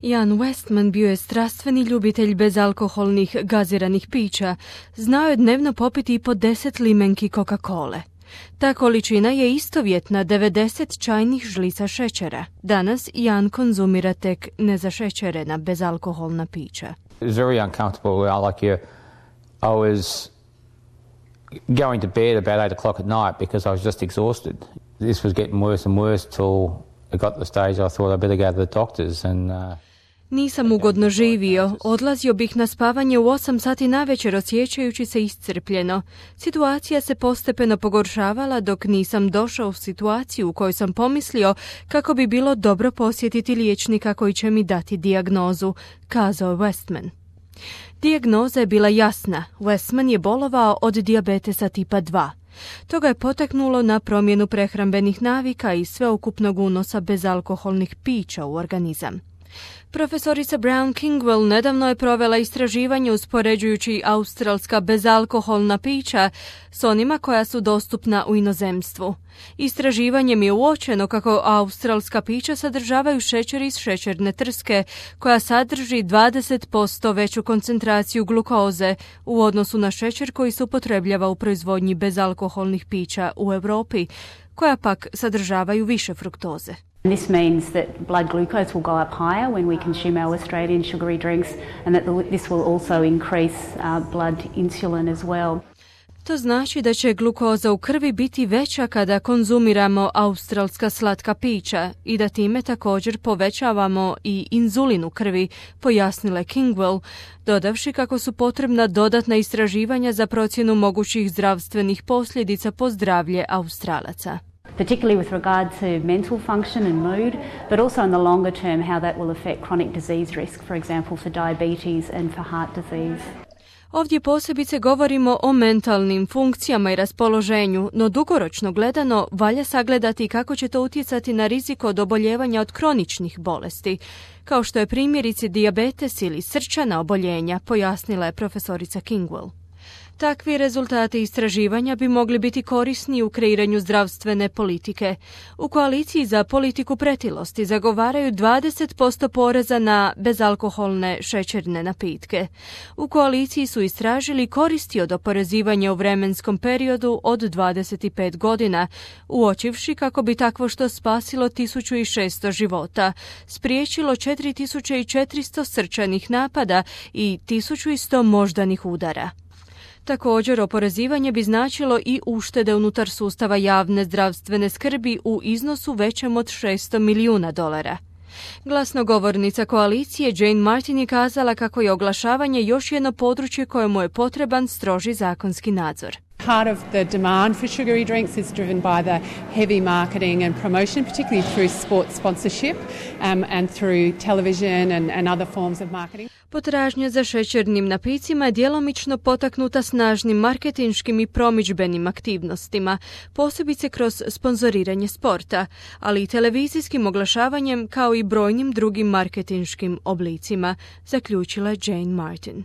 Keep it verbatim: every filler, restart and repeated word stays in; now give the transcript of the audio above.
Ian Westman bio je strastveni ljubitelj bezalkoholnih gaziranih pića. Znao je dnevno popiti i po deset limenki Coca-Cole. Ta količina je istovjetna devedeset čajnih žlica šećera. Danas Ian konzumira tek nezašećerena bezalkoholna pića. It was very uncomfortable. Like you, I was going to bed about eight o'clock at night because I was just exhausted. This was getting worse and worse till it got to the stage I thought I'd better go to the doctors and... Uh, Nisam ugodno živio, odlazio bih na spavanje u osam sati navečer osjećajući se iscrpljeno. Situacija se postepeno pogoršavala dok nisam došao u situaciju u kojoj sam pomislio kako bi bilo dobro posjetiti liječnika koji će mi dati dijagnozu, kazao je Westman. Dijagnoza je bila jasna, Westman je bolovao od dijabetesa tipa dva. To ga je potaknulo na promjenu prehrambenih navika i sveukupnog unosa bezalkoholnih pića u organizam. Profesorica Brown Kingwell nedavno je provela istraživanje uspoređujući australska bezalkoholna pića s onima koja su dostupna u inozemstvu. Istraživanjem je uočeno kako australska pića sadržavaju šećer iz šećerne trske, koja sadrži dvadeset posto veću koncentraciju glukoze u odnosu na šećer koji se upotrebljava u proizvodnji bezalkoholnih pića u Europi, koja pak sadržavaju više fruktoze. This means that blood glucose will go up higher when we consume our Australian sugary drinks, and that the, this will also increase uh, blood insulin as well. To znači da će glukoza u krvi biti veća kada konzumiramo australska slatka pića i da time također povećavamo i inzulin u krvi, pojasnila je Kingwell, dodavši kako su potrebna dodatna istraživanja za procjenu mogućih zdravstvenih posljedica po zdravlje Australaca. Particularly with regard to mental function and mood, but also in the longer term how that will affect chronic disease risk, for example for diabetes and for heart disease. Ovdje posebice govorimo o mentalnim funkcijama i raspoloženju, no dugoročno gledano valja sagledati kako će to utjecati na rizik od oboljevanja od kroničnih bolesti, kao što je primjerice dijabetes ili srčana oboljenja, pojasnila je profesorica Kingwell. Takvi rezultati istraživanja bi mogli biti korisni u kreiranju zdravstvene politike. U koaliciji za politiku pretilosti zagovaraju dvadeset posto poreza na bezalkoholne šećerne napitke. U koaliciji su istražili koristi od oporezivanja u vremenskom periodu od dvadeset pet godina, uočivši kako bi takvo što spasilo tisuću šesto života, spriječilo četiri tisuće četiristo srčanih napada i tisuću sto moždanih udara. Također, oporezivanje bi značilo i uštede unutar sustava javne zdravstvene skrbi u iznosu većem od šesto milijuna dolara. Glasnogovornica koalicije Jane Martin je kazala kako je oglašavanje još jedno područje kojemu je potreban stroži zakonski nadzor. Part of the demand for sugary drinks is driven by the heavy marketing and promotion, particularly through sports sponsorship um, and through television and, and other forms of marketing. Potražnja za šećernim napicima je djelomično potaknuta snažnim marketinškim i promidžbenim aktivnostima, posebice kroz sponzoriranje sporta, ali i televizijskim oglašavanjem kao i brojnim drugim marketinškim oblicima, zaključila je Jane Martin.